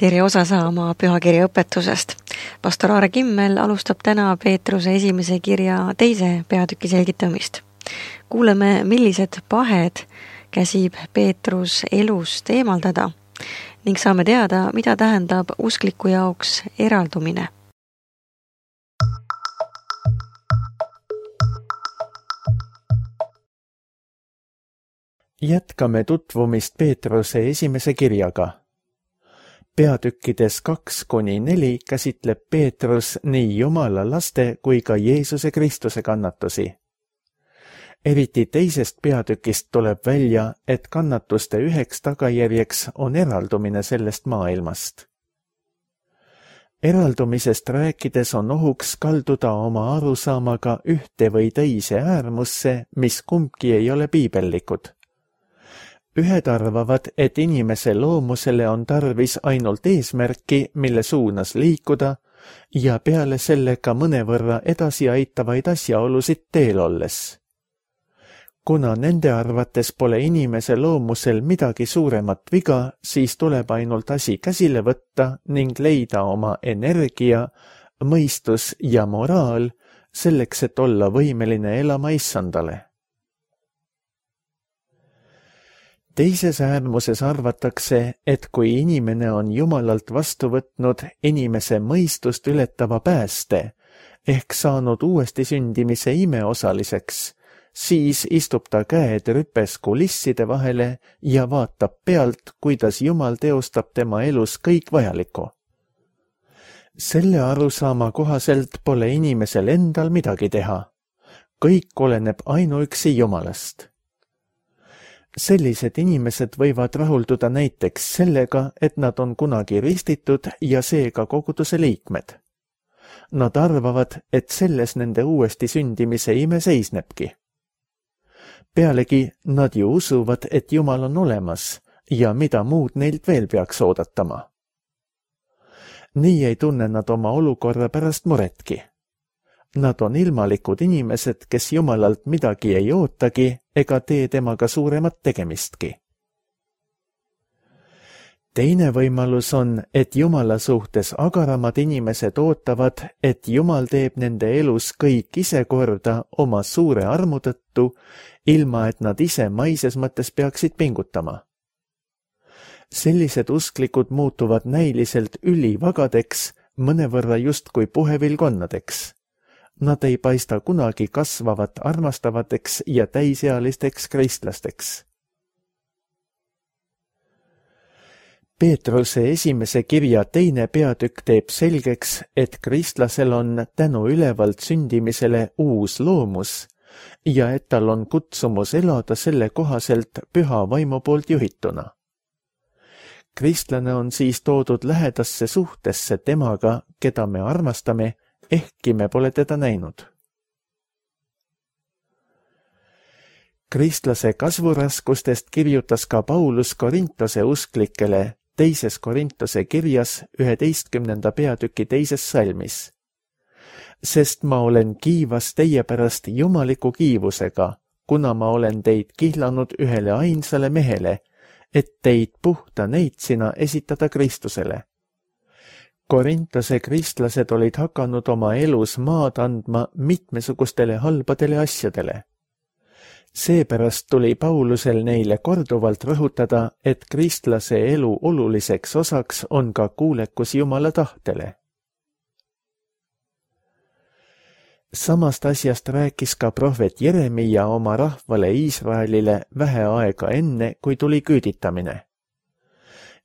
tere osa saama pühakirja õpetusest. Pastor Aare Kimmel alustab täna Peetruse esimese kirja 2. peatüki selgitamist. Kuuleme, millised pahed käsib Peetrus elust eemaldada ning saame teada, mida tähendab uskliku jaoks eraldumine. Jätkame tutvumist Peetruse esimese kirjaga. Peatükkides 2-4 käsitleb Peetrus nii Jumala laste kui ka Jeesuse Kristuse kannatusi. Eriti 2. peatükist tuleb välja, et kannatuste üheks tagajärjeks on eraldumine sellest maailmast. Eraldumisest rääkides on ohuks kalduda oma arusaamaga ühte või teise äärmusse, mis kumbki ei ole piibellikud. Ühed arvavad, et inimese loomusele on tarvis ainult eesmärki, mille suunas liikuda ja peale sellega mõnevõrra edasi aitavaid asjaolusid teel olles. Kuna nende arvates pole inimese loomusel midagi suuremat viga, siis tuleb ainult asi käsile võtta ning leida oma energia, mõistus ja moraal selleks, et olla võimeline elama issandale. Teises äärmuses arvatakse, et kui inimene on Jumalalt vastu võtnud inimese mõistust ületava pääste ehk saanud uuesti sündimise imeosaliseks, siis istub ta käed rüpes kulisside vahele ja vaatab pealt, kuidas Jumal teostab tema elus kõik vajalikku. Selle arusaama kohaselt pole inimesel endal midagi teha. Kõik oleneb ainuüksi Jumalast. Sellised inimesed võivad rahulduda näiteks sellega, et nad on kunagi ristitud ja seega koguduse liikmed. Nad arvavad, et selles nende uuesti sündimise ime seisnebki. Pealegi nad ju usuvad, et Jumal on olemas ja mida muud neilt veel peaks oodatama. Nii ei tunne nad oma olukorra pärast muretki. Nad on ilmalikud inimesed, kes Jumalalt midagi ei ootagi ega tee temaga suuremat tegemistki. Teine võimalus on, et Jumala suhtes agaramad inimesed ootavad, et Jumal teeb nende elus kõik ise korda oma suure armu tõttu, ilma et nad ise maises mõttes peaksid pingutama. Sellised usklikud muutuvad näiliselt ülivagadeks, mõnevõrra justkui puhevilkonnadeks. Nad ei paista kunagi kasvavat armastavateks ja täisealisteks kristlasteks. Peetruse esimese kirja 2. peatükk teeb selgeks, et kristlasel on tänu ülevalt sündimisele uus loomus ja et tal on kutsumus elada selle kohaselt püha vaimu poolt juhituna. Kristlane on siis toodud lähedasse suhtesse temaga, keda me armastame, ehkki me pole teda näinud. Kristlase kasvuraskustest kirjutas ka Paulus Korintose usklikele 2. Korintose kirjas 11. peatüki 2. salmis. Sest ma olen kiivas teie pärast jumaliku kiivusega, kuna ma olen teid kihlanud ühele ainsale mehele, et teid puhta neitsina esitada Kristusele. Korintose kristlased olid hakanud oma elus maad andma mitmesugustele halbadele asjadele. Seepärast tuli Paulusel neile korduvalt rõhutada, et kristlase elu oluliseks osaks on ka kuulekus Jumala tahtele. Samast asjast rääkis ka prohvet Jeremia oma rahvale Iisraelile vähe aega enne, kui tuli küüditamine.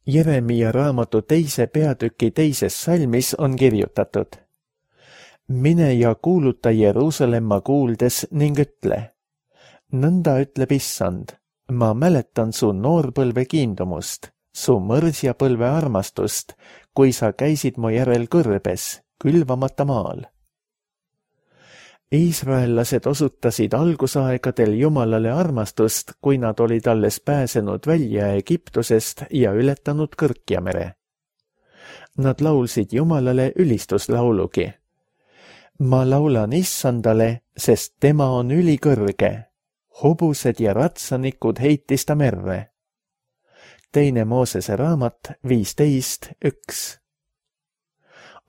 Jeremia raamatu 2. peatüki 2. salmis on kirjutatud: Mine ja kuuluta Jeruusalemma kuuldes ning ütle: Nõnda ütleb Issand, ma mäletan su noorpõlve kiindumust, su mõrsjapõlve armastust, kui sa käisid mu järel kõrbes, külvamata maal. Iisraellased osutasid algusaegadel Jumalale armastust, kui nad olid alles pääsenud välja Egiptusest ja ületanud Kõrkjamere. Nad laulsid Jumalale ülistuslaulugi. Ma laulan Issandale, sest tema on ülikõrge. Hobused ja ratsanikud heitis ta merre. 2 Moosese raamat 15:1.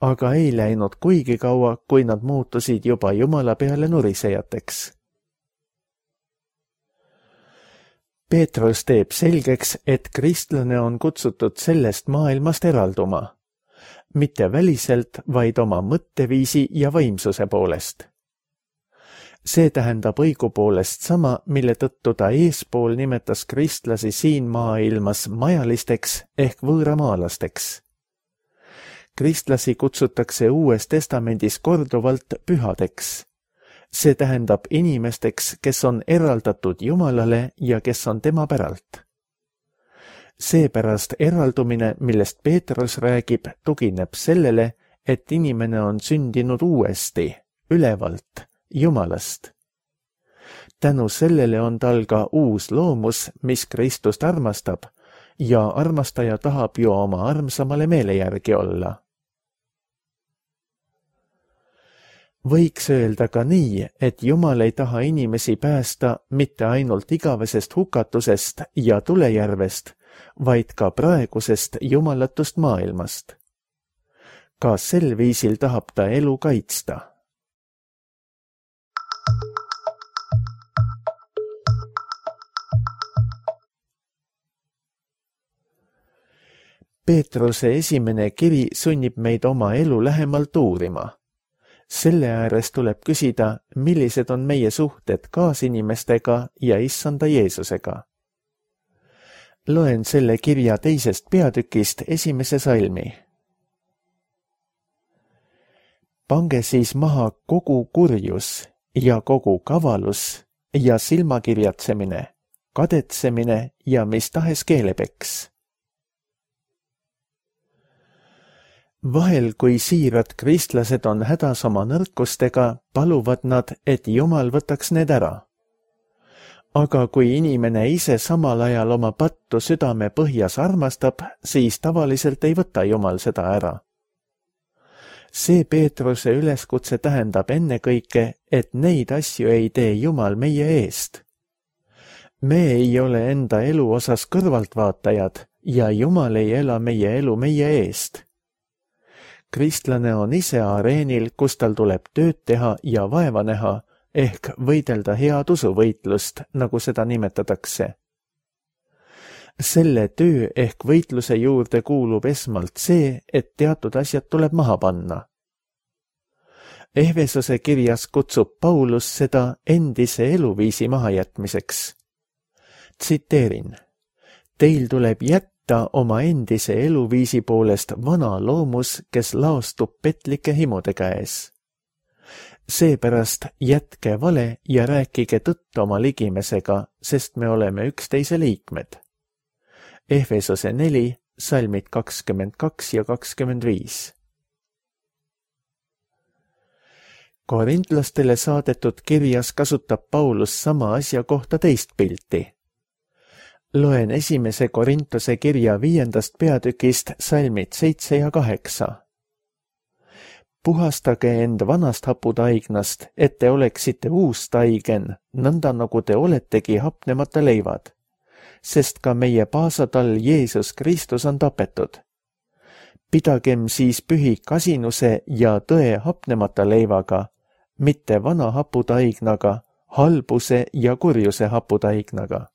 Aga ei läinud kuigi kaua, kui nad muutusid juba Jumala peale nurisejateks. Peetrus teeb selgeks, et kristlane on kutsutud sellest maailmast eralduma, mitte väliselt, vaid oma mõtteviisi ja vaimsuse poolest. See tähendab õigupoolest sama, mille tõttu ta eespool nimetas kristlasi siin maailmas majalisteks ehk võõramaalasteks. Kristlasi kutsutakse Uues Testamendis korduvalt pühadeks. See tähendab inimesteks, kes on eraldatud Jumalale ja kes on tema päralt. Seepärast eraldumine, millest Peetrus räägib, tugineb sellele, et inimene on sündinud uuesti, ülevalt, Jumalast. Tänu sellele on tal ka uus loomus, mis Kristust armastab, ja armastaja tahab ju oma armsamale meele järgi olla. Võiks öelda ka nii, et Jumal ei taha inimesi päästa mitte ainult igavesest hukatusest ja tulejärvest, vaid ka praegusest jumalatust maailmast. Ka sel viisil tahab ta elu kaitsta. Peetruse esimene kiri sunnib meid oma elu lähemalt uurima. Selle ääres tuleb küsida, millised on meie suhted kaasinimestega ja Issanda Jeesusega. Loen selle kirja 2. peatükist 1. salmi. Pange siis maha kogu kurjus ja kogu kavalus ja silmakirjatsemine, kadetsemine ja mis tahes keelepeks. Vahel, kui siirad kristlased on hädas oma nõrkustega, paluvad nad, et Jumal võtaks need ära. Aga kui inimene ise samal ajal oma pattu südame põhjas armastab, siis tavaliselt ei võta Jumal seda ära. See Peetruse üleskutse tähendab ennekõike, et neid asju ei tee Jumal meie eest. Me ei ole enda elu osas kõrvaltvaatajad ja Jumal ei ela meie elu meie eest. Kristlane on ise areenil, kus tal tuleb tööd teha ja vaeva näha, ehk võidelda head usuvõitlust, nagu seda nimetatakse. Selle töö ehk võitluse juurde kuulub esmalt see, et teatud asjad tuleb maha panna. Efesose kirjas kutsub Paulus seda endise eluviisi mahajätmiseks. Tsiteerin: Teil tuleb jätta oma endise eluviisi poolest vana loomus, kes laostub petlike himude käes. Seepärast jätke vale ja rääkige tõtt oma ligimesega, sest me oleme üksteise liikmed. Efesose 4, salmid 22 ja 25. Korintlastele saadetud kirjas kasutab Paulus sama asja kohta teist pilti. Loen 1. Korintuse kirja 5. peatükist salmid 7 ja 8. Puhastage end vanast haputaignast, et te oleksite uus taigen, nõnda nagu te oletegi hapnemata leivad, sest ka meie paasatall Jeesus Kristus on tapetud. Pidagem siis pühi kasinuse ja tõe hapnemata leivaga, mitte vana haputaignaga, halbuse ja kurjuse haputaignaga.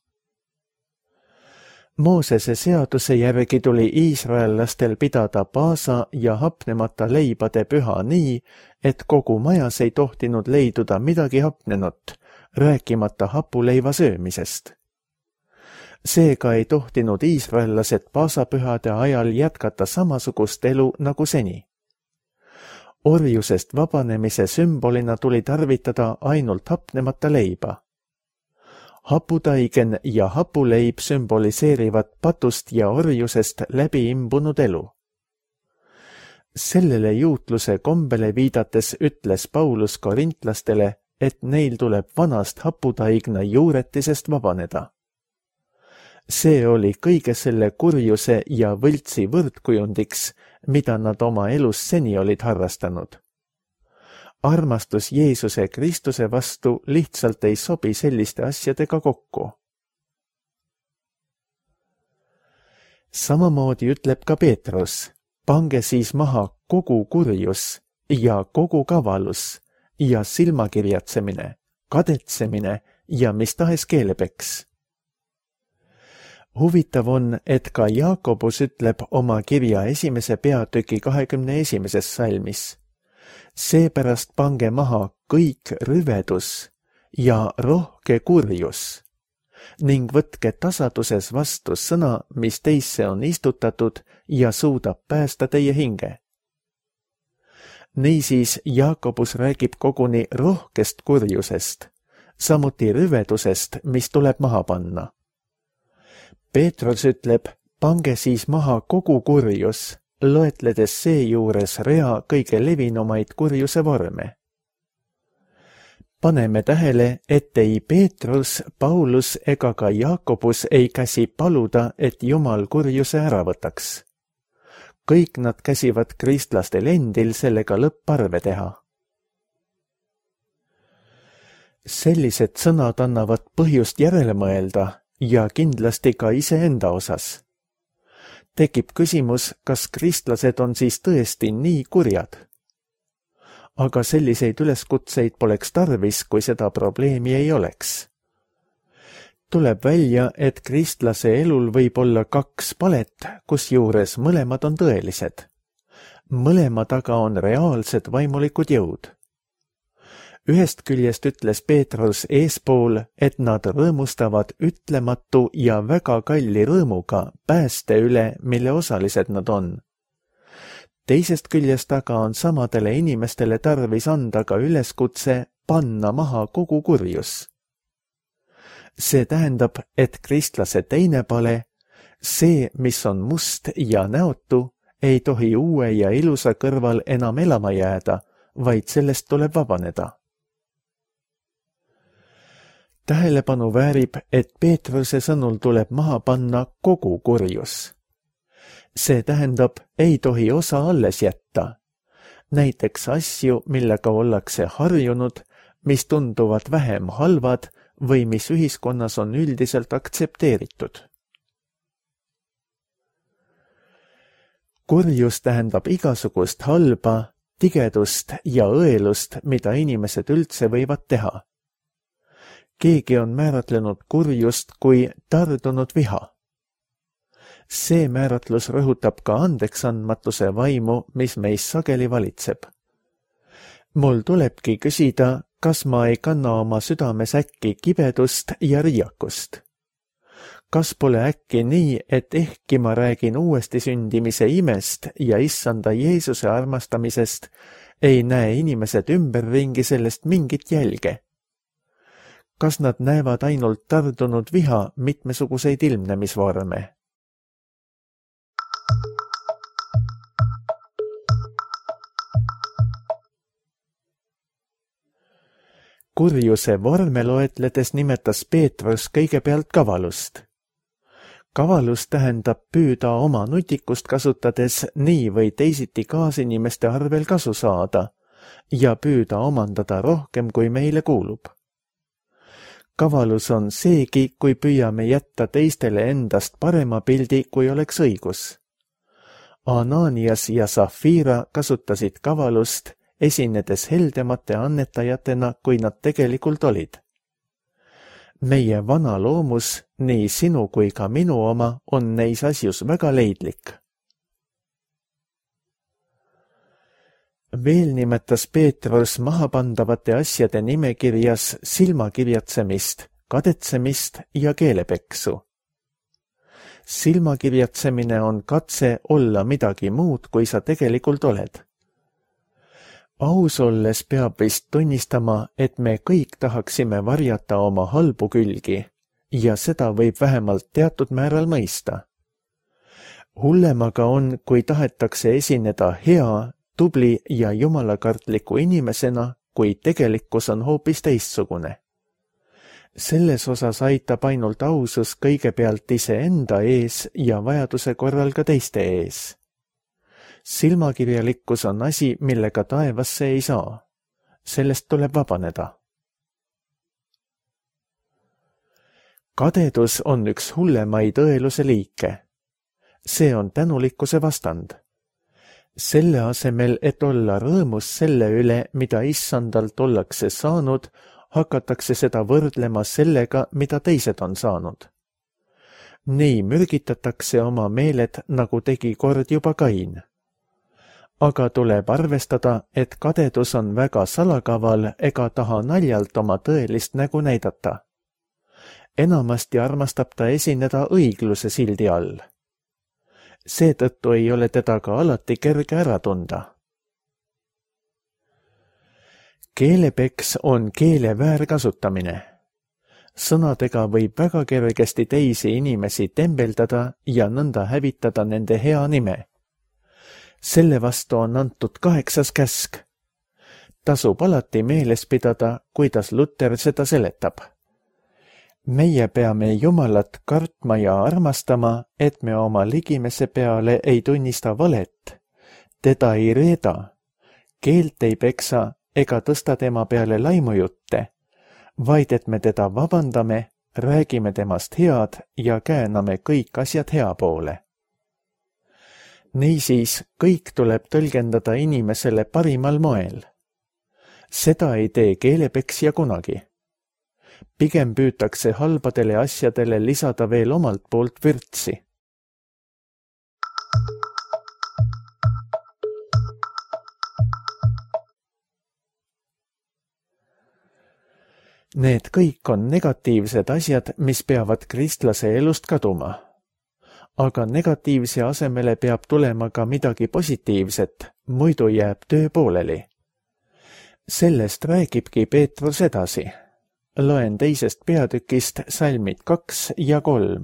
Moosese seaduse järgi tuli iisraellastel pidada paasa ja hapnemata leibade püha nii, et kogu majas ei tohtinud leiduda midagi hapnenut, rääkimata hapuleiva söömisest. Seega ei tohtinud iisraellased paasapühade ajal jätkata samasugust elu nagu seni. Orjusest vabanemise sümbolina tuli tarvitada ainult hapnemata leiba. Haputaigen ja hapuleib sümboliseerivad patust ja orjusest läbi imbunud elu. Sellele juutluse kombele viidates ütles Paulus korintlastele, et neil tuleb vanast haputaigna juuretisest vabaneda. See oli kõige selle kurjuse ja võltsi võrdkujundiks, mida nad oma elus seni olid harrastanud. Armastus Jeesuse Kristuse vastu lihtsalt ei sobi selliste asjadega kokku. Samamoodi ütleb ka Peetrus, pange siis maha kogu kurjus ja kogu kavalus ja silmakirjatsemine, kadetsemine ja mis tahes keelepeks. Huvitav on, et ka Jaakobus ütleb oma kirja 1. peatüki 21. salmis. Seepärast pange maha kõik rüvedus ja rohke kurjus ning võtke tasaduses vastu sõna, mis teisse on istutatud ja suudab päästa teie hinge. Niisiis Jaakobus räägib koguni rohkest kurjusest, samuti rüvedusest, mis tuleb maha panna. Peetrus ütleb, pange siis maha kogu kurjus, loetledes seejuures rea kõige levinumaid kurjuse vorme. Paneme tähele, et ei Peetrus, Paulus ega ka Jaakobus ei käsi paluda, et Jumal kurjuse ära võtaks. Kõik nad käsivad kristlastel endil sellega lõpparve teha. Sellised sõnad annavad põhjust järele mõelda ja kindlasti ka iseenda osas. Tekib küsimus, kas kristlased on siis tõesti nii kurjad? Aga selliseid üleskutseid poleks tarvis, kui seda probleemi ei oleks. Tuleb välja, et kristlase elul võib olla 2 palet, kusjuures mõlemad on tõelised. Mõlema taga on reaalsed vaimulikud jõud. Ühest küljest ütles Peetrus eespool, et nad rõõmustavad ütlematu ja väga kalli rõõmuga pääste üle, mille osalised nad on. Teisest küljest aga on samadele inimestele tarvis anda ka üleskutse panna maha kogu kurjus. See tähendab, et kristlase teine pale, see, mis on must ja näotu, ei tohi uue ja ilusa kõrval enam elama jääda, vaid sellest tuleb vabaneda. Tähelepanu väärib, et Peetruse sõnul tuleb maha panna kogu kurjus. See tähendab, ei tohi osa alles jätta. Näiteks asju, millega ollakse harjunud, mis tunduvad vähem halvad või mis ühiskonnas on üldiselt aktsepteeritud. Kurjus tähendab igasugust halba, tigedust ja õelust, mida inimesed üldse võivad teha. Keegi on määratlenud kurjust kui tardunud viha. See määratlus rõhutab ka andeksandmatuse vaimu, mis meis sageli valitseb. Mul tulebki küsida, kas ma ei kanna oma südames äkki kibedust ja riiakust. Kas pole äkki nii, et ehkki ma räägin uuesti sündimise imest ja issanda Jeesuse armastamisest, ei näe inimesed ümberringi sellest mingit jälge? Kas nad näevad ainult tardunud viha mitmesuguseid ilmnemisvorme? Kurjuse vorme loetledes nimetas Peetrus kõigepealt kavalust. Kavalus tähendab püüda oma nutikust kasutades nii või teisiti kaasinimeste arvel kasu saada ja püüda omandada rohkem, kui meile kuulub. Kavalus on seegi, kui püüame jätta teistele endast parema pildi, kui oleks õigus. Ananias ja Safira kasutasid kavalust, esinedes heldemate annetajatena, kui nad tegelikult olid. Meie vana loomus, nii sinu kui ka minu oma, on neis asjus väga leidlik. Veel nimetas Peetrus mahapandavate asjade nimekirjas silmakirjatsemist, kadetsemist ja keelepeksu. Silmakirjatsemine on katse olla midagi muud, kui sa tegelikult oled. Aus olles peab vist tunnistama, et me kõik tahaksime varjata oma halbu külgi ja seda võib vähemalt teatud määral mõista. Hullem aga on, kui tahetakse esineda hea, tubli ja jumalakartliku inimesena, kui tegelikkus on hoopis teistsugune. Selles osas aitab ainult ausus kõigepealt iseenda ees ja vajaduse korral ka teiste ees. Silmakirjalikkus on asi, millega taevasse ei saa. Sellest tuleb vabaneda. Kadedus on üks hullemaid õeluse liike. See on tänulikkuse vastand. Selle asemel, et olla rõõmus selle üle, mida issandalt ollakse saanud, hakatakse seda võrdlema sellega, mida teised on saanud. Nii mürgitatakse oma meeled, nagu tegi kord juba Kain. Aga tuleb arvestada, et kadedus on väga salakaval ega taha naljalt oma tõelist nägu näidata. Enamasti armastab ta esineda õigluse sildi all. Seetõttu ei ole teda ka alati kerge ära tunda. Keelepeks on keele väärkasutamine. Sõnadega võib väga kergesti teisi inimesi tembeldada ja nõnda hävitada nende hea nime. Selle vastu on antud 8. käsk. Tasub alati meeles pidada, kuidas Luter seda seletab. Meie peame Jumalat kartma ja armastama, et me oma ligimese peale ei tunnista valet, teda ei reeda, keelt ei peksa ega tõsta tema peale laimujutte, vaid et me teda vabandame, räägime temast head ja kääname kõik asjad hea poole. Niisiis, kõik tuleb tõlgendada inimesele parimal moel. Seda ei tee keelepeksja kunagi. Pigem püütakse halbadele asjadele lisada veel omalt poolt vürtsi. Need kõik on negatiivsed asjad, mis peavad kristlase elust kaduma. Aga negatiivse asemele peab tulema ka midagi positiivset, muidu jääb töö pooleli. Sellest räägibki Peetrus edasi. Loen 2. peatükist salmid 2 ja 3.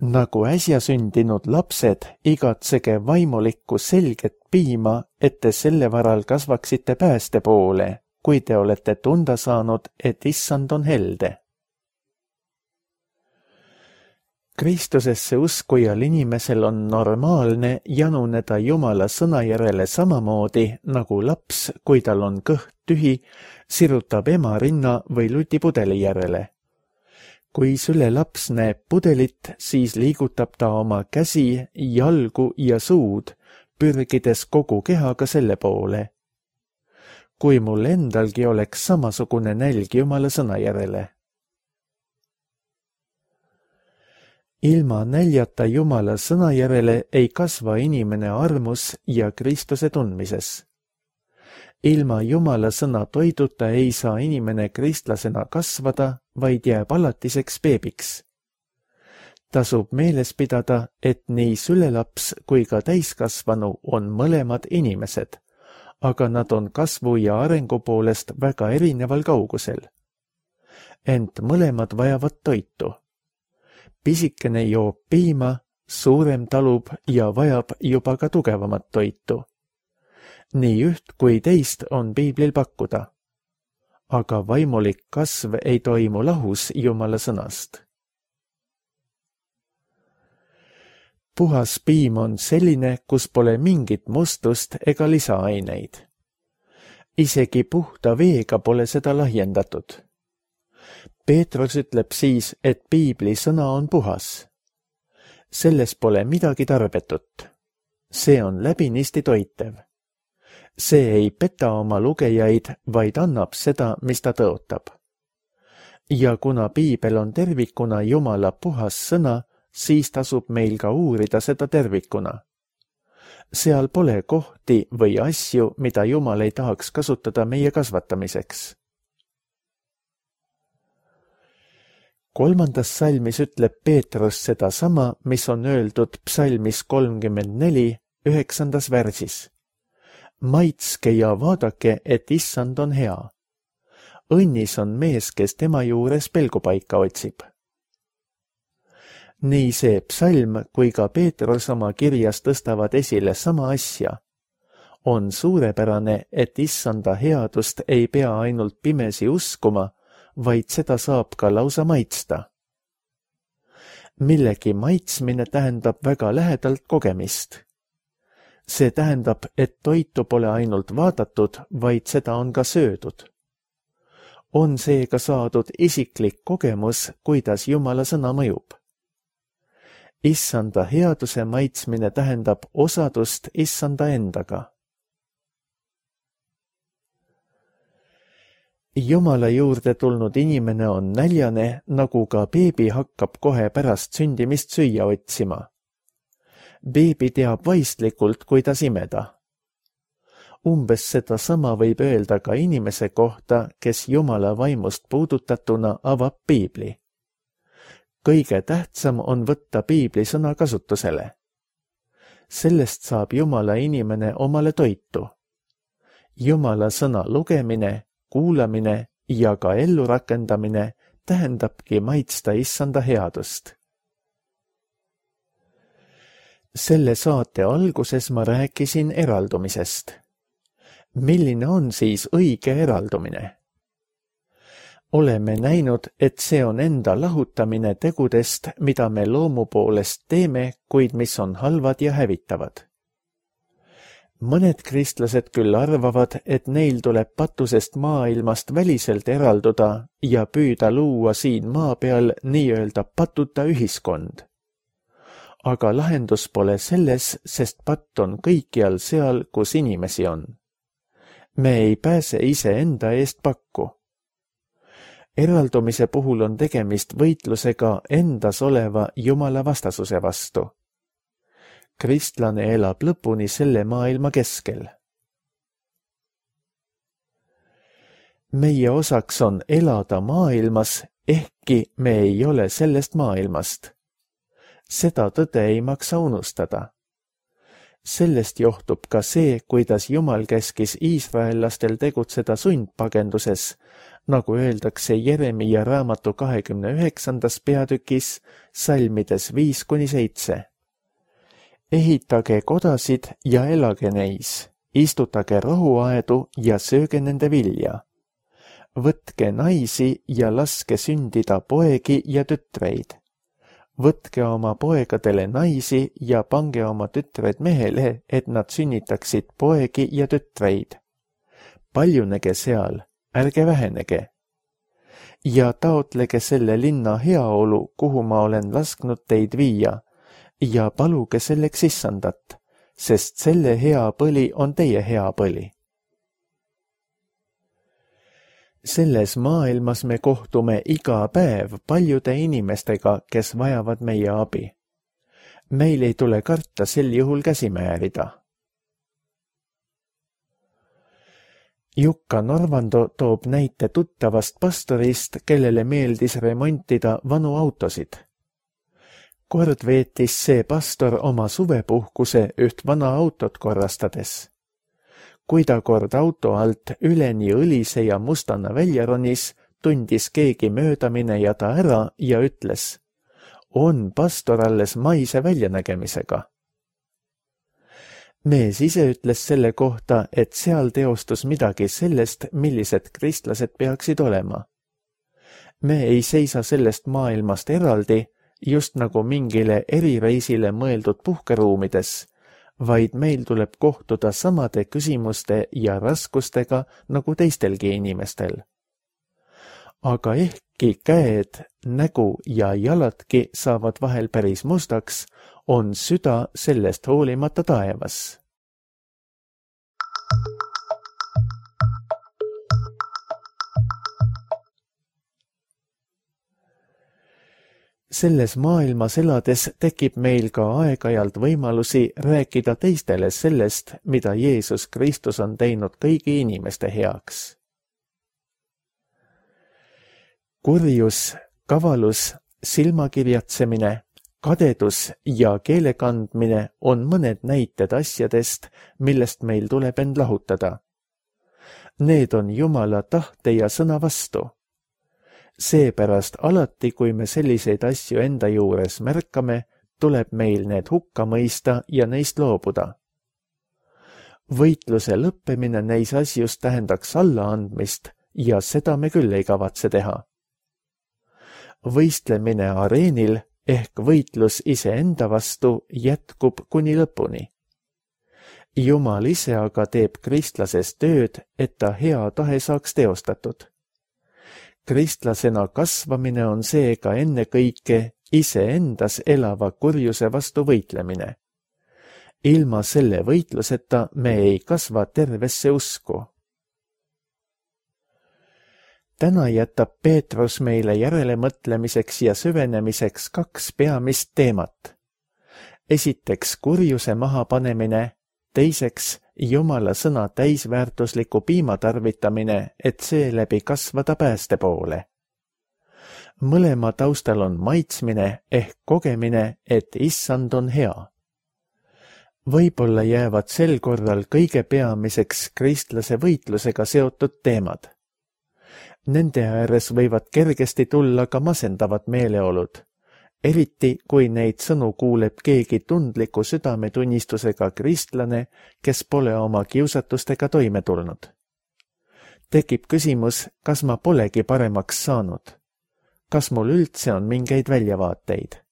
Nagu äsja sündinud lapsed, igatsege vaimulikku selget piima, et te selle varal kasvaksite pääste poole, kui te olete tunda saanud, et issand on helde. Kristusesse uskujal inimesel on normaalne januneda Jumala sõna järele samamoodi, nagu laps, kui tal on kõht tühi, sirutab ema rinna või lutipudeli järele. Kui süle laps näeb pudelit, siis liigutab ta oma käsi, jalgu ja suud, pürgides kogu kehaga selle poole. Kui mul endalgi oleks samasugune nälg Jumala sõna järele. Ilma näljata Jumala sõna järele ei kasva inimene armus ja Kristuse tundmises. Ilma Jumala sõna toiduta ei saa inimene kristlasena kasvada, vaid jääb alatiseks beebiks. Tasub meeles pidada, et nii sülelaps kui ka täiskasvanu on mõlemad inimesed, aga nad on kasvu ja arengu poolest väga erineval kaugusel. Ent mõlemad vajavad toitu. Pisikene joob piima, suurem talub ja vajab juba ka tugevamat toitu. Nii üht kui teist on piiblil pakkuda. Aga vaimulik kasv ei toimu lahus Jumala sõnast. Puhas piim on selline, kus pole mingit mustust ega lisaaineid. Isegi puhta veega pole seda lahjendatud. Peetrus ütleb siis, et piibli sõna on puhas. Selles pole midagi tarbetut. See on läbinisti toitev. See ei peta oma lugejaid, vaid annab seda, mis ta tõotab. Ja kuna piibel on tervikuna Jumala puhas sõna, siis tasub meil ka uurida seda tervikuna. Seal pole kohti või asju, mida Jumal ei tahaks kasutada meie kasvatamiseks. 3. salmis ütleb Peetrus seda sama, mis on öeldud psalmis 34, 9. värsis. Maitske ja vaadake, et issand on hea. Õnnis on mees, kes tema juures pelgupaika otsib. Nii see psalm kui ka Peetrus oma kirjas tõstavad esile sama asja. On suurepärane, et issanda headust ei pea ainult pimesi uskuma, vaid seda saab ka lausa maitsta. Millegi maitsmine tähendab väga lähedalt kogemist. See tähendab, et toitu pole ainult vaadatud, vaid seda on ka söödud. On seega saadud isiklik kogemus, kuidas Jumala sõna mõjub. Issanda headuse maitsmine tähendab osadust Issanda endaga. Jumala juurde tulnud inimene on näljane, nagu ka beebi hakkab kohe pärast sündimist süüa otsima. Beebi teab vaistlikult, kuidas imeda. Umbes seda sama võib öelda ka inimese kohta, kes Jumala vaimust puudutatuna avab piibli. Kõige tähtsam on võtta piibli sõna kasutusele. Sellest saab Jumala inimene omale toitu. Jumala sõna lugemine, kuulamine ja ka ellurakendamine tähendabki maitsta Issanda headust. Selle saate alguses ma rääkisin eraldumisest. Milline on siis õige eraldumine? Oleme näinud, et see on enda lahutamine tegudest, mida me loomu poolest teeme, kuid mis on halvad ja hävitavad. Mõned kristlased küll arvavad, et neil tuleb patusest maailmast väliselt eralduda ja püüda luua siin maa peal nii-öelda patuta ühiskond. Aga lahendus pole selles, sest patt on kõikjal seal, kus inimesi on. Me ei pääse iseenda eest pakku. Eraldumise puhul on tegemist võitlusega endas oleva Jumala vastasuse vastu. Kristlane elab lõpuni selle maailma keskel. Meie osaks on elada maailmas, ehkki me ei ole sellest maailmast. Seda tõde ei maksa unustada. Sellest johtub ka see, kuidas Jumal käskis iisraellastel tegutseda sundpagenduses, nagu öeldakse Jeremia raamatu 29. peatükis, salmides 5-7. Ehitage kodasid ja elage neis, istutage rohuaedu ja sööge nende vilja. Võtke naisi ja laske sündida poegi ja tütreid. Võtke oma poegadele naisi ja pange oma tütred mehele, et nad sünnitaksid poegi ja tütreid. Paljunege seal, ärge vähenege. Ja taotlege selle linna heaolu, kuhu ma olen lasknud teid viia, ja paluge selleks Issandat, sest selle hea põli on teie hea põli. Selles maailmas me kohtume iga päev paljude inimestega, kes vajavad meie abi. Meil ei tule karta sel juhul käsi määrida. Jukka Norvando toob näite tuttavast pastorist, kellele meeldis remontida vanu autosid. Kord veetis see pastor oma suvepuhkuse üht vana autot korrastades. Kui ta kord auto alt üleni õlise ja mustana välja ronis, tundis keegi mööda minejada ära ja ütles, on pastor alles maise väljanägemisega. Mees ise ütles selle kohta, et seal teostus midagi sellest, millised kristlased peaksid olema. Me ei seisa sellest maailmast eraldi, just nagu mingile erireisile mõeldud puhkeruumides, vaid meil tuleb kohtuda samade küsimuste ja raskustega nagu teistelgi inimestel. Aga ehkki käed, nägu ja jaladki saavad vahel päris mustaks, on süda sellest hoolimata taevas. Selles maailmas elades tekib meil ka aeg-ajalt võimalusi rääkida teistele sellest, mida Jeesus Kristus on teinud kõigi inimeste heaks. Kurjus, kavalus, silmakirjatsemine, kadedus ja keelekandmine on mõned näited asjadest, millest meil tuleb end lahutada. Need on Jumala tahte ja sõna vastu. Seepärast alati, kui me selliseid asju enda juures märkame, tuleb meil need hukka mõista ja neist loobuda. Võitluse lõppemine neis asjus tähendaks allaandmist ja seda me küll ei kavatse teha. Võistlemine areenil ehk võitlus iseenda vastu jätkub kuni lõpuni. Jumal ise aga teeb kristlases tööd, et ta hea tahe saaks teostatud. Kristlasena kasvamine on seega ennekõike iseendas elava kurjuse vastu võitlemine. Ilma selle võitluseta me ei kasva tervesse usku. Täna jätab Peetrus meile järelemõtlemiseks ja süvenemiseks 2 peamist teemat. Esiteks kurjuse mahapanemine, teiseks Jumala sõna täisväärtusliku piima tarvitamine, et seeläbi kasvada pääste poole. Mõlema taustal on maitsmine ehk kogemine, et issand on hea. Võib-olla jäävad sel korral kõige peamiseks kristlase võitlusega seotud teemad. Nende ääres võivad kergesti tulla ka masendavad meeleolud, eriti kui neid sõnu kuuleb keegi tundliku südametunnistusega kristlane, kes pole oma kiusatustega toime tulnud. Tekib küsimus, kas ma polegi paremaks saanud? Kas mul üldse on mingeid väljavaateid?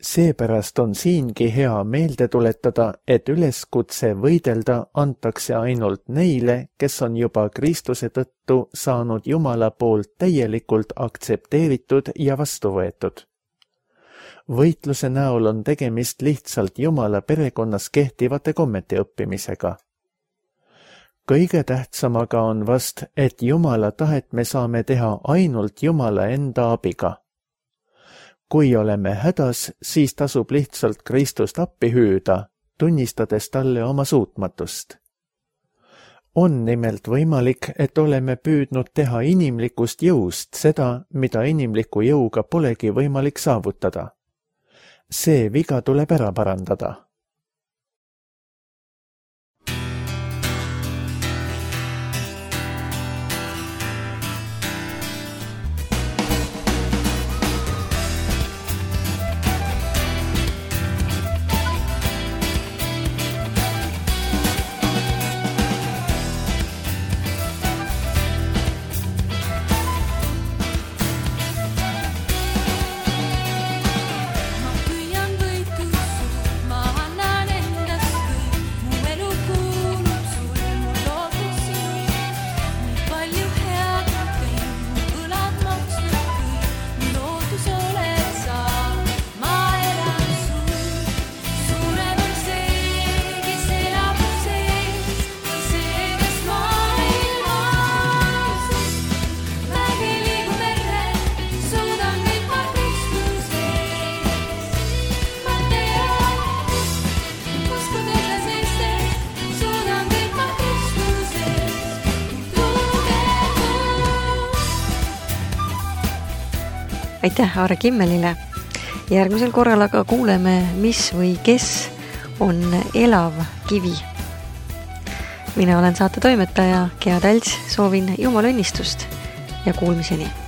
Seepärast on siingi hea meelde tuletada, et üleskutse võidelda antakse ainult neile, kes on juba Kristuse tõttu saanud Jumala poolt täielikult aktsepteeritud ja vastu võetud. Võitluse näol on tegemist lihtsalt Jumala perekonnas kehtivate kommete õppimisega. Kõige tähtsamaga on vast, et Jumala tahet me saame teha ainult Jumala enda abiga. Kui oleme hädas, siis tasub lihtsalt Kristust appi hüüda, tunnistades talle oma suutmatust. On nimelt võimalik, et oleme püüdnud teha inimlikust jõust seda, mida inimliku jõuga polegi võimalik saavutada. See viga tuleb ära parandada. Aitäh Aare Kimmelile. Järgmisel korral aga kuuleme, mis või kes on elav kivi. Mina olen saate toimetaja Gea Tälts, soovin Jumala õnnistust ja kuulmiseni.